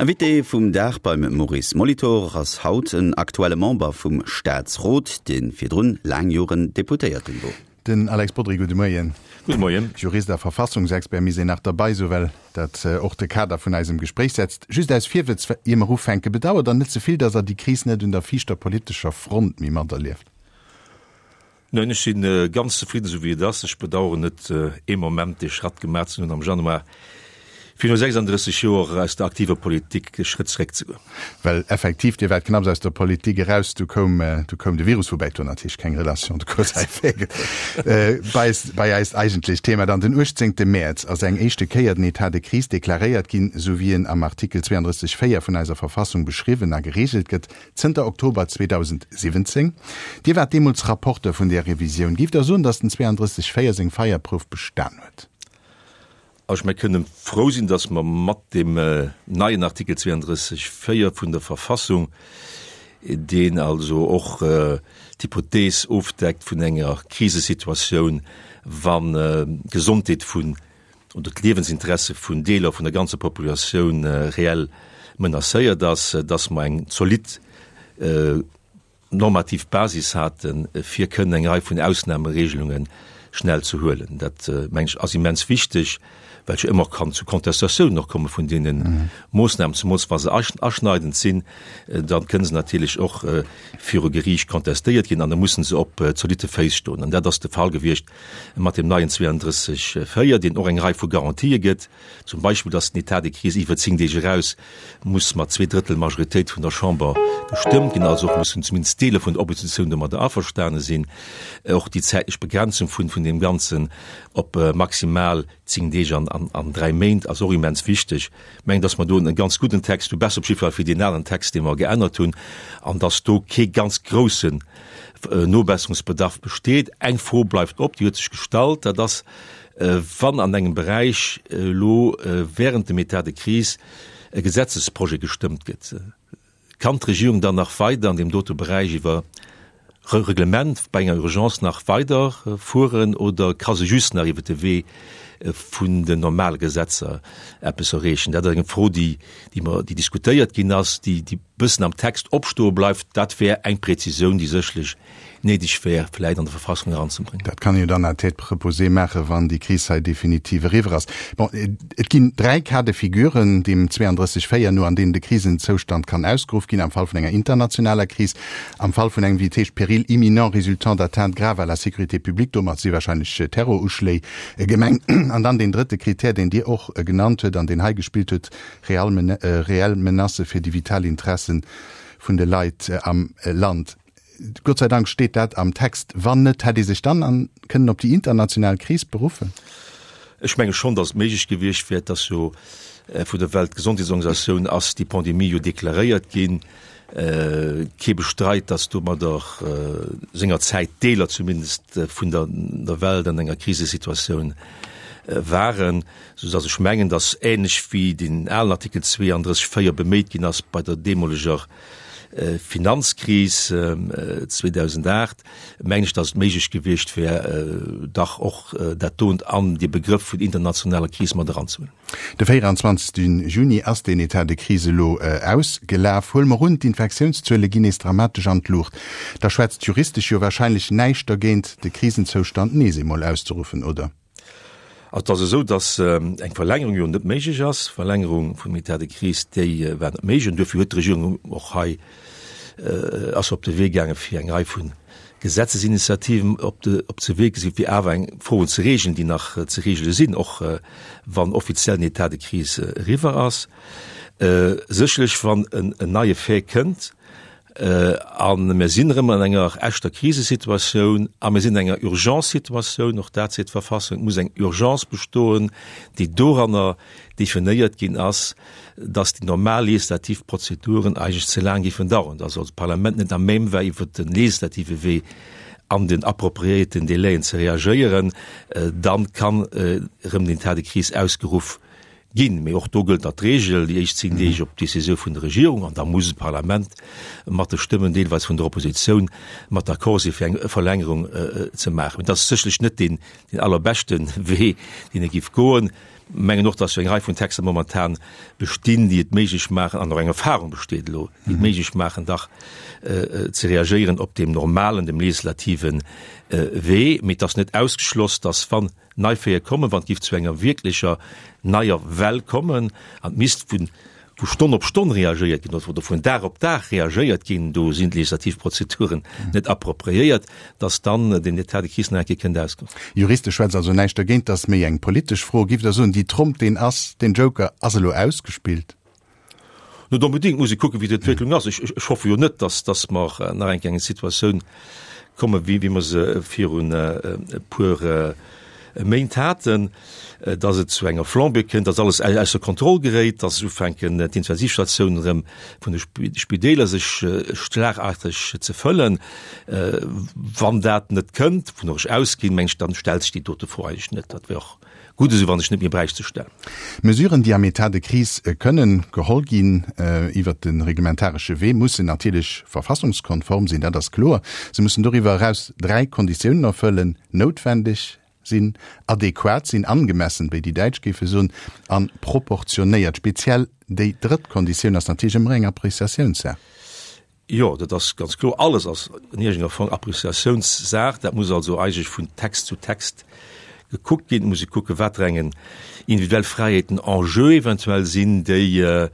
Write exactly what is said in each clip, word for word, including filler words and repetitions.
Invité vum Dag beim Maurice Molitor ass haut en aktuelle Member vum Staatsrot, dee virdrun laang Joren Deputéierten wor. Den Alex Bodry, gudde Moien. Gudde Moien. Jurist a Verfassungsexpert, misst een nach derbäi soen, well dat och de Kader vun eisem Gespréich setzt. Just aus Virwëtz, ier mer ufänken, Bedauert Der net ze vill, datt Der déi Kris net un der viischter politescher Front méi materlieft? Neen, ech si ganz zefridden, esou wéi et ass. Ech bedauern net ee Moment, dee Schratt gemaach ze hunn am Januar, fir no sechsanddrësseg Joer aus der aktiver Politik e Schrëtt zeréckzegoen. Well effektiv, Dir waart knapps aus der Politik eraus, du koum, du koum de Virus, woubäi do natierlech keng Relation de cause à effet gëtt. Bei, bei eist eigentlecht Thema dann, Den uechtzéngte Mäerz ass eng éischte Kéier den État de crise deklaréiert ginn, esou wéi en am Artikel zweiunddrësseg véier vun eiser Verfassung beschriwwen a gereegelt gëtt, zënter Oktober zweedausendsiwwenzéng. Dir waart deemools Rapporteur vun där Revisioun. Giff Der soen, datt den zweiunddrësseg véier seng Feierprouf bestan huet? Also mir kënnen frou sinn, dass mer mat deem neien Artikel zweiunddrësseg véier vun der Verfassung, deen also och d'Hypothees ofdeckt vun enger Krisesituatioun, wann d'Gesondheet vun oder d'Liewensinteresse vun Deeler vun der ganzer Populatioun reell menacéiert ass, dass mer eng zolidd normativ Basis haten, fir kënnen eng Rei vun Ausnahmeregelunge schnell ze huelen. Dat, mengen ech, ass immens wichteg, well et jo ëmmer kann zu Contestatiounen och komme vun deene Moosnamen, zemools wa se aschneidend sinn, da kënne se natierlech och viru Geriicht contestéiert ginn an da mussen se op zolitte Féiss stoen. An dat ass de Fall gewiescht mat deem neien zweiunddrësseg véier, deen och eng Rei vu Garantië gëtt, zum Beispill, dass den État de crise iwwer zéng Deeg eraus muss mat zwee Drëttel Majoritéit vun der Chamber gestëmmt ginn, also och mussen zumindest Deeler vun der Oppositioun domadder averstane sinn, och déi zäitlech Begrenzung vun vun deem Ganzen op maximal zéng Deeg an an dräi Méint ass och immens wichteg. Ech mengen, dass mer do e ganz gudden Text hu, besser op jidde Fall wéi deen alen Text, dee mer geännert hunn, an dass do kee ganz groussen Nobesserungsbedarf besteet. Eng Fro bleift op, déi huet sech gestallt, dat ass, wann an engem Beräich elo während dem État de crise e Gesetzesprojet gestëmmt gëtt, kann d'Regierung dann nach weider an deem dote Beräich iwwer Reglement bei enger Urgence nach weider fueren oder ka se just nach iwwer de Wee vun den normale Gesetzer eppes erreechen? Dat ass eng Fro, déi, déi mer, déi diskutéiert ginn ass, déi, déi bëssen am Text opstoe bleift. Dat wär eng Präzisioun, déi sécherlech néideg wär, vläicht an der Verfassung eranzebréngen. Dat kann een jo dann à tête reposée maachen, wann déi Kris hei definitiv eriwwer ass. Bon, et ginn dräi Cas de figuren, deem zweiunddrësseg véier no, an deenen de Krisenzoustand kann ausgeruff ginn, am Fall vun enger internationaler Kris, am Fall vun engem, wéi et heescht, péril imminent résultant d'atteintes graves à la sécurité publique, domat si wahrscheinlech Terroruschléi gemengt, an dann deen drëtte Kritär, deen Dir och genannt huet an deen hei gespillt huet, reell Menacë fir déi vital Interessen vun de Leit am Land. Gott sei Dank steet dat am Text. Wann net, hätt ee sech dann an kënnen op déi international Kris beruffen? Ech menge schonn, datt et méiglech gewiescht wär. Et ass jo vun der Weltgesondheetsorganisatioun ass déi Pandemie jo deklaréiert ginn. Kee bestreit, datt domadder sengerzäit Deeler zumindest vun der Welt an enger Krisesituatioun waren, soudatt ech mengen, datt ähnlech wéi deen alen Artikel zweiunddrësseg véier beméit ginn ass bei der deemoleger Finanzkris zweedausendacht, mengen ech, datt et méiglech gewiescht wär, dach och dat dont an dee Begrëff vun internationaler Kris mat eranzehuelen. De véieranzwanzegste Juni ass deen État de crise elo ausgelaf. Huele mer un, d'Infektiounszuele ginn nees dramatesch an d'Luucht. Da schwätzt juristesch jo wahrscheinlech näischt dergéint, de Krisenzoustand nees eemol auszeruffen, oder? Also et ass esou, datt eng Verlängerung jo net méiglech ass. D'Verlängerung vum État de crise, déi war net méiglech. An duerfir huet d'Regierung och hei, ass op de Wee gaangen, fir eng Rei vu Gesetzesinitiativen op de, op ze Wee gesinn, fir awer eng Froen ze regeln, déi nach ze regele sinn, och wann offiziell den État de crise eriwwer ass. Sécherlech, wann en neie Fait kënnt, A mir sinn erëm an enger echter Krisesituatioun a mir sinn an enger Urgence-Situatioun, och dat seet d'Verfassung, et muss eng Urgence bestoen, déi doranner definéiert ginn ass, dass déi normal legislativ Prozeduren eigentlech ze laang géifen dauern, dass also d'Parlament net à même war, iwwert de legislative Wee an den appropriéierten Délaiën ze reagéieren, dann kann erëm den État de crise ausgeruff Ginn. Mee och do gëllt nach d'Regel, déi éischt zéng Deeg op d'Décisioun vun der Regierung, an da muss d'Parlament mat de Stëmmen deelweis vun der Oppositioun mat d'accord sinn, fir eng Verlängerung ze maachen. Mee dat ass sécherlech net deen allerbeschte Wee, deen ee géif goen. Mengen och, dass jo eng Rei vun Texter momentan bestinn, déi et méiglech maachen, an och eng Erfahrung besteet elo, déi et méiglech maachen, dach ze reagéieren op deem normalen, dem legislativen Wee. Mee et ass net ausgeschloss, dass, wann nei Véier kommen, wann et géif zu enger wierklecher neier Well kommen an et misst vu vu Stonn op Stonn reagéiert ginn oder vun Dag op Dag reagéiert ginn, do sinn d'legislativ Prozeduren net appropriéiert, dass dann den État de crise nach eng Kéier kënnt ausgeruff. Juristesch schwätzt also näischt dergéint, dat ass méi eng politesch Fro. Giff Der soen, déi Tromp, deen ass, deen Joker ass elo ausgespillt? Net onbedéngt, muss ee kucken, wéi d'Entwécklung ass. Ech, ech hoffe jo net, dass, dass mer nach eng Kéier eng Situatioun kommen, wéi, wéi mer se virun e puer Méint haten, dass et zu enger Flambée kënnt, dass alles ausser Kontroll geréit, dass ufänken d'Intensivstatiounen erëm vun de Spideeler sech schlagarteg ze fëllen. Wann dat net kënnt, wovun ech ausginn, meng ech, dann stellt sech déi dote Fro eigentlech net. Dat wär och gutt esou, wann ech net méi bräicht ze stellen. Mesuren, déi am État de crise kënnen geholl ginn iwwert de reglementaresche Wee, mussen natierlech verfassungskonform sinn, dat ass kloer. Se mussen doriwwer eraus dräi Konditiounen erfëllen, noutwendeg sinn, adequat sinn, angemessen, wéi déi Däitsch géife soen, a proportionéiert. Speziell déi drëtt Konditioun ass natierlech ëmmer eng Appreciatiounssaach. Jo, dat ass ganz kloer. Alles ass an iergendenger Form Appreciatiounssaach. Dat muss also eigentlech vun Text zu Text gekuckt ginn. Et muss ee kucken, wat fir eng individuell Fräiheeten en jeu eventuell sinn, déi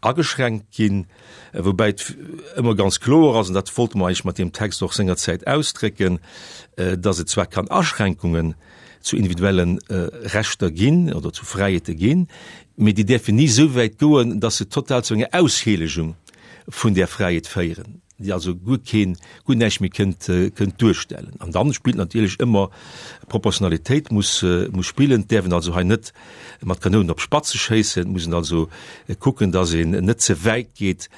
ageschränkt ginn. Woubäi et ëmmer ganz kloer ass, an dat wollte mer eigentlech mat deem Text och sengerzäit ausdrécken, dass et zwar kann Aschränkungen zu individuelle Rechter ginn oder zu Fräiheete ginn, mee déi däerfen ni esou wäit goen, dass se total zu enger Ausheelegung vun där Fräiheet féieren, déi also guer keen, guer näischt méi kënnt, kënnt duerstellen. An dann spillt natierlech ëmmer Proportionalitéit muss, muss spillen. Et däerf een also hei net mat Kanounen op Spatze schéissen. Et muss een also kucken, dass een net ze wäit geet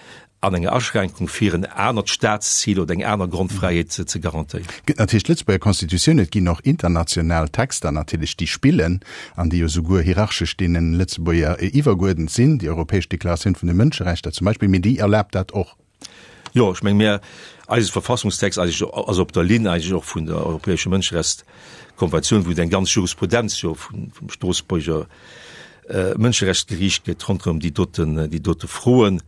an enger Aschränkung, fir en anert Staatszil oder eng aner Grondfräiheet ze garantéieren. Et gëtt natierlech d'Lëtzebuerger Constitutioun, et ginn och international Texter natierlech, déi spillen an déi jo souguer hierarchesch deene Lëtzebuerger iwwergeuerdent sinn, déi Europäesch Deklaratioun vun de Mënscherechter zum Beispill, mee déi erlaabt dat och. Jo, ech menge mir, eise Verfassungstext eigentlech ass op der Linn eigentlech och vun der Europäescher Mënscherechtskonventioun, wou et eng ganz Jurisprudenz jo vum Stroossbuerger Mënscherechtsgeriicht gëtt ronderëm déi doten, déi dote Froen.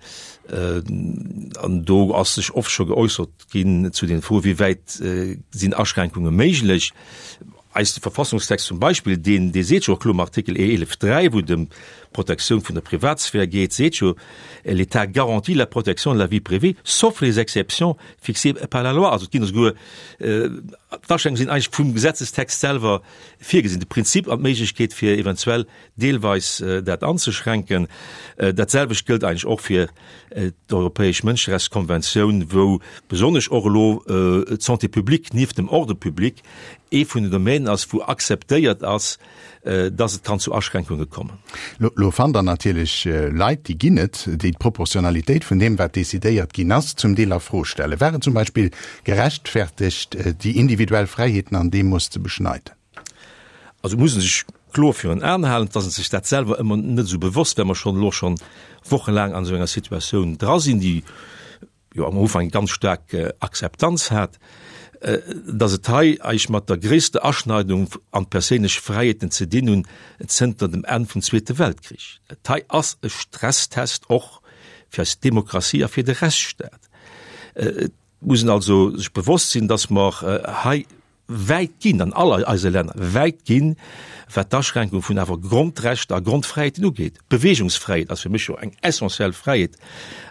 An do ass sech oft scho geäussert ginn zu den Froen, wéi wäit sinn Aschränkunge méiglech. Eise Verfassungstext zum Beispill, deen, dee seet jo och kloer am Artikel eelef dräi, wou et ëm d'Protektioun vun der Privatsphär geet, seet jo, L'État garantit la protection de la vie privée, sauf les exceptions fixées par la loi. Also et ginn esouguer, d'Aschränkunge sinn eigentlech vum Gesetzestext selwer virgesinn, de Prinzip an d'Méiglechkeet fir eventuell deelweis dat anzeschränken. Dat selwecht gëllt eigentlech och fir d'Europäesch Mënscherechtskonventioun, wou besonnesch och elo d'Santé publique nieft dem Ordre public ee vun den Domänen ass, wou akzeptéiert ass, dass et kann zu Aschränkunge kommen. Lo fannt Der natierlech Leit, déi ginn et, déi d'Proportionalitéit vun deem, wat decidéiert ginn ass, zum Deel a Fro stellen. War et zum Beispill gerechtfertegt, déi individuell Fräiheeten an deem Mooss ze beschneiden? Also muss e sech kloer virun Aen halen, dass e sech dat selwer ëmmer net esou bewosst, well mer schonn elo schonn wochelaang an esou enger Situatioun dra sinn, déi jo am Ufank eng ganz staark Akzeptanz hat, dass et hei eigentlech mat der gréisster Aschneidung an d'perséinlech Fräiheeten ze dinn hunn zënter dem Enn vum Zweete Weltkrich. Dat hei ass e Stresstest och fir eis Demokratie a fir de Rechtsstaat. Et muss een also sech bewosst sinn, dass mer hei wäit ginn, an all eise Länner wäit ginn, wat d'Aschränkung vun awer Grondrechter a Grondfräiheeten ugeet. D'Beweegungsfräiheet ass fir mech jo eng essentiell Fräiheet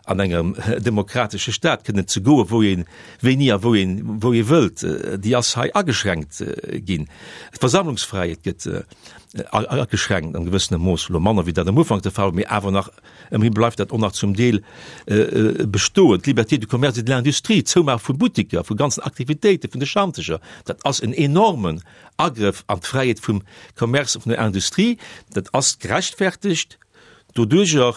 an engem demokratesche Staat, kënnen ze goen, wou een, wéini a wou een, wou ee wëllt. Déi ass hei ageschränkt ginn. D'Versammlungsfräiheet gëtt ageschränkt an gewëssenem Mooss, elo manner wéi dat am Ufank de Fall war, mee awer nach ëmmerhi bleift dat och nach zum Deel bestoen. D'Liberté du commerce et de l'industrie, d'Zoumaache vu Buttiker, vu ganzen Aktivitéiten, vun de Schanteger, dat ass en enormen Agrëff an d'Fräiheet vum Commerce, vun der Industrie. Dat ass gerechtfertegt doduerjer,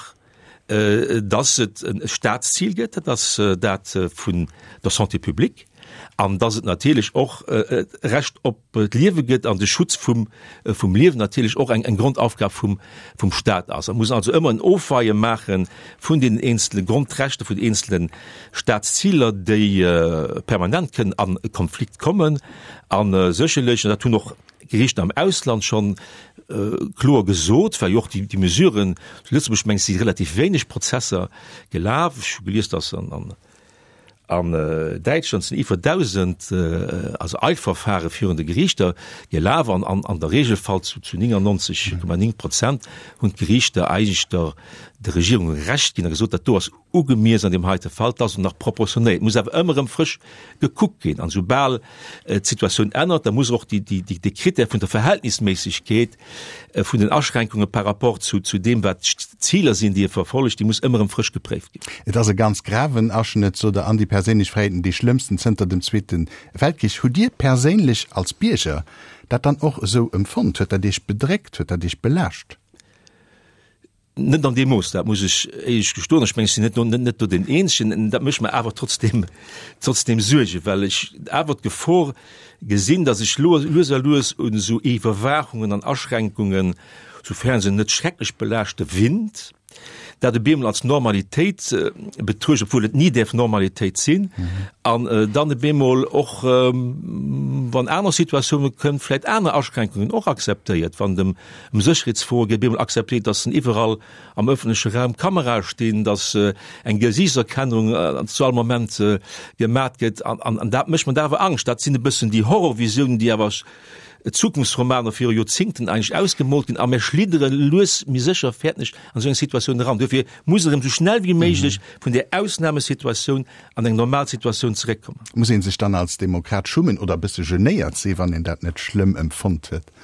dass et e Staatszil gëtt, dat ass dat vun der Santé publique. An dass et natierlech och d'Recht op d'Liewe gëtt an de Schutz vum, vum Liewen natierlech och eng, eng Grondaufgab vum, vum Staat ass. Et muss also ëmmer en Ofweie maache vun deenen eenzele Grondrechter, vun den eenzele Staatsziler, déi permanent kënnen a Konflikt kommen. A sécherlech, an dat hunn och Geriichter am Ausland schonn kloer gesot, well jo och déi, déi Mesuren, zu Lëtzebuerg mengen ech si relativ wéineg Prozesser gelaf, ech hu gelies, dass an, an, An Däitschland sinn iwwer dausend also Eilverfahre virun de Geriichter gelaf an an der Regelfall zu zu néngannonzeg Komma néng Prozent hunn d'Geriichter eigentlech der der Regierung Recht ginn a gesot, dat do ass ugemiess an deem heite Fall, dat ass och nach proportionéiert. Et muss awer ëmmer erëm frësch gekuckt ginn an esoubal d'Situatioun ännert, da muss och déi déi déi de Critère vun der Verhältnisméissegkeet vun den Aschränkunge par rapport zu zu deem wat d'Ziler sinn, déi e verfollegt, déi muss ëmmer erëm frësch gepréift ginn. Et ass e ganz graven Aschnëtt, sot Der, an déi perséinlech Fräiheeten, déi schlëmmsten zënter dem Zweete Weltkrich. Hutt Dir perséinlech als Bierger dat dann och esou empfonnt? Huet dat Iech bedréckt? Huet dat Iech belaascht? Net an deem Mooss, dat muss ech éierlech gestoen. Ech mengen, ech sinn net do, net do deen Eenzegen. Dat mécht mer awer trotzdem, trotzdem Suergen, well ech awer d'Gefor gesinn, datt ech lues a lues un esou Iwwerwaachungen an Aschränkungen, soufern se net schrecklech belaaschte, winnt, dat op eemol als Normalitéit betruecht, obwuel et ni däerf Normalitéit sinn, an dann op eemol och, wann aner Situatioune kënnt, vläicht aner Aschränkungen och akzeptéiert, wann et ëm ëm Sécherheetsfroe geet, op eemol akzeptéiert, dass iwwerall am ëffentleche Raum Kamerae stinn, dass eng Gesiichtserkennung zu all Moment gemat gëtt. An, an dat mécht mer da awer Angscht. Dat sinn e bëssen déi Horrorvisiounen, déi awer Zukunftsromaner viru Joerzingten eigentlech ausgemoolt ginn. A mir schliddere lues mee sécher, fäerten ech, an esou eng Situatioun eran. Duerfir muss erëm esou schnell wéi méiglech vun där Ausnamesituatioun an eng normal Situatioun zeréckkommen. Muss ee sech dann als Demokrat schummen oder e bësse genéiert sinn, wann een dat net schlëmm empfonnt huet?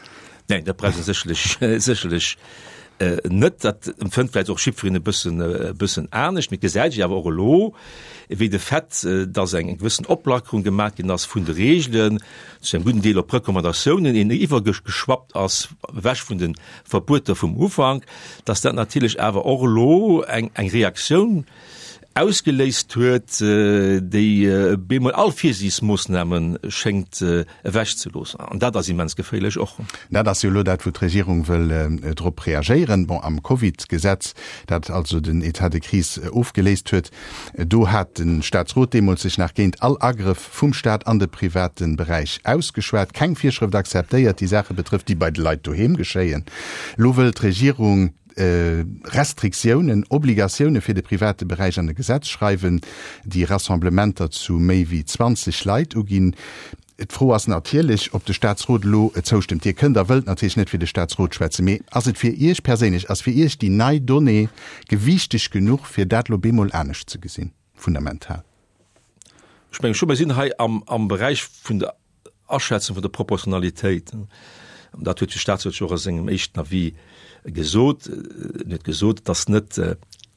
Neen, dat brauch ee sécherlech, sécherlech net. Dat empfënnt vläicht och jiddwereen e bëssen, e bëssen anescht. Mee et gesäit ee jo awer och elo, wéi de Fait, dass eng gewëssen Oplackerung gemaach ginn ass vun de Regeln, zu engem gudden Deel op Recommandatiounen een iwwergeschwappt ass, ewech vun de Verbueter vum Ufank, dass dat natierlech awer och elo eng, eng Reaktioun ausgeléist huet, déi bemol all Virsiichtsmoossname schéngt ewechzeloossen. An dat ass immens geféierlech och. Dat ass jo elo dat, wou d'Regierung wëll drop reagéieren. Bon, am Covid-Gesetz, dat also den État de crise ofgeléist huet, do hat de Staatsrot deemools sech nach géint all Agrëff vum Staat an de private Beräich ausgeschwat, keng Virschrëft akzeptéiert, déi Saache betrëfft, déi bei de Leit doheem geschéien. Elo wëll d'Regierung Restriktiounen, Obligatioune fir de private Beräich an e Gesetz schreiwen, déi Rassemblementer zu méi wéi zwanzeg Leit uginn. D'Fro ass natierlech, ob de Staatsrot elo zoustëmmt. Dir kënnt a wëllt natierlech net fir de Staatsrot schwätzen, mee ass et fir Iech perséinlech, ass fir Iech déi nei Donnée gewiichteg genuch, fir dat elo bemol anescht ze gesinn, fundamental? Ech menge scho, mir sinn hei am Beräich vun der Aschätzung vun der Proportionalitéit. An dat huet de Statsrot jo och a sengem éischten Avis gesot. En huet gesot, et ass net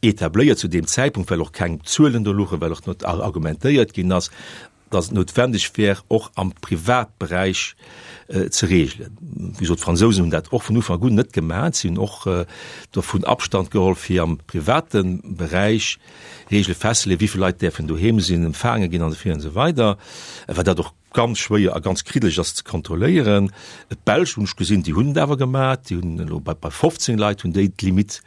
etabléiert zu deem Zäitpunkt, well och keng Zuelen do luchen, well och net argumentéiert ginn ass, dass et noutwendeg wär, och am Privatberäich ze regelen. Wéi gesot, d'Fransousen hunn dat och vun Ufank un net gemaach. Si hunn och dovun Abstand geholl, fir am private Beräich Regele festzeleeën, wéi vill Leit däerfen doheem sinn, empfaange ginn an esou virun an esou weider, well dat och ganz schwéier a ganz kriddeleg ass ze kontrolléieren. D'Belsch hunn ech gesinn, déi hunn et awer gemaach, déi hunn elo bei bei fofzéng Leit hunn déi d'Limite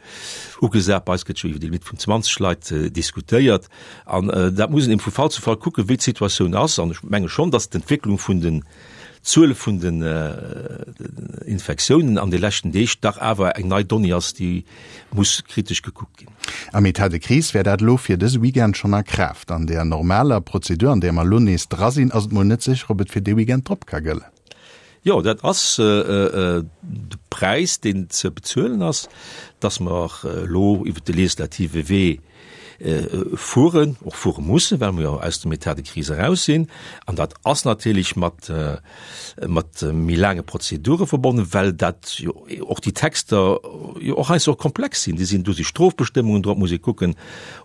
ugesat. Bei eis gëtt jo iwwer déi Limite vun zwanzeg Leit diskutéiert. An dat muss een eben vu Fall zu Fall kucken, wéi d'Situatioun ass. An ech menge schonn, datt d'Entwécklung vun den Zuele vun den Infektiounen an de leschten Deeg dach awer eng nei Donnée ass, déi muss kritesch gekuckt ginn. Am Etat de crise wär dat elo fir dëse Weekend schonn a Kraaft. An där normaler Prozedur, an där mer elo nees dra sinn, ass et mol net sécher, ob et fir dee Weekend drop ka gëllen. Jo, dat ass de Präis, deen ze bezuelen ass, dass mer elo iwwert de legislative Wee fueren, och fuere mussen, well mer jo aus dem État de crise eraus sinn. An dat ass natierlech mat, mat méi laange Prozedure verbonnen, well dat jo och déi Texter jo och heiansdo och komplex sinn. Déi sinn, do si Strofbestëmmungen drop, muss ee kucken,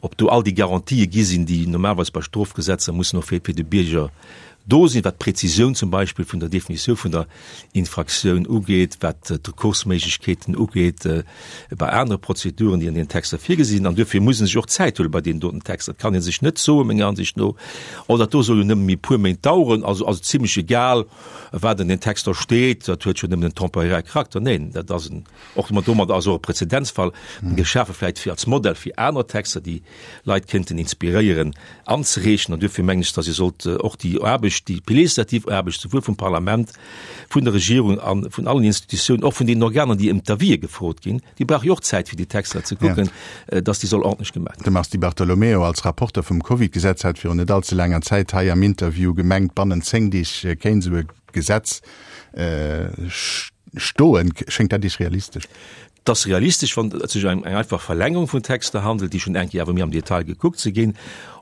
ob do all déi Garantië gi sinn, déi normalerweis bei Strofgesetzer mussen och fir, fir de Bierger do sinn, wat d'Präzisioun zum Beispill vun der Definitioun vun der Infraktioun ugeet, wat d'Rekursméiglechkeeten ugeet bei anere Prozeduren, déi an deenen Texter virgesi sinn. An duerfir muss ee sech och Zäit huele bei deenen doten Texter. Et kann ee sech net soen, menger Ansicht no, oh dat do soll jo nëmme méi e puer Méint daueren, also ass et zimlech egal, wat an den Texter steet, dat huet jo nëmmen en temporäre Charakter. Neen, dat ass en, och domat ass och e Präzedenzfall geschafe vläicht fir als Modell fir aner Texter, déi Leit kéinten inspiréieren anzereechen. An duerfir mengen ech, datt ee sollt och déi Aarbecht, déi legislativ Aarbecht, souwuel vum Parlament, vun der Regierung a vun allen Institutiounen, och vun deenen Organer, déi ëm d'Avisë gefrot ginn, déi brauche jo och Zäit, fir déi Texter ze kucken, datt déi soll ordentlech gemaach ginn. De Mars Di Bartolomeo als Rapporter vum Covid-Gesetz hat virun net allze laanger Zäit hei am Interview gemengt, bannent zéng Deeg kéint esou e Gesetz stoen. Schéngt dat Iech realistesch? Et ass realistesch, wann et sech ëm eng einfach Verlängerung vun Texter handelt, déi schonn eng Kéier awer méi am Detail gekuckt si ginn,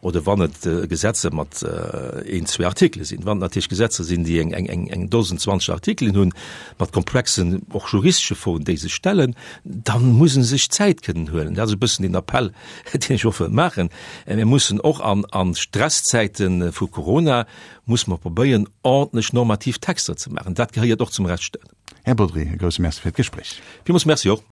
oder wann et Gesetzer mat een, zwee Artikele sinn. Wann et natierlech Gesetzer sinn, déi eng, eng, eng Dosen, zwanzeg Artikelen hunn, mat komplexen, och juristesche Froen, déi sech stellen, da muss e sech Zäit kënnen huelen. Dat ass e bëssen den Appell, deen ech och wëll maachen. Mir mussen och an, a Stresszäite vu Corona, musse mer probéieren, ordentlech normativ Texter ze maachen. Dat gehéiert och zum Rechtsstaat. Här Bodry, e grousse Merci fir d'Gespréich. Villmools Merci och.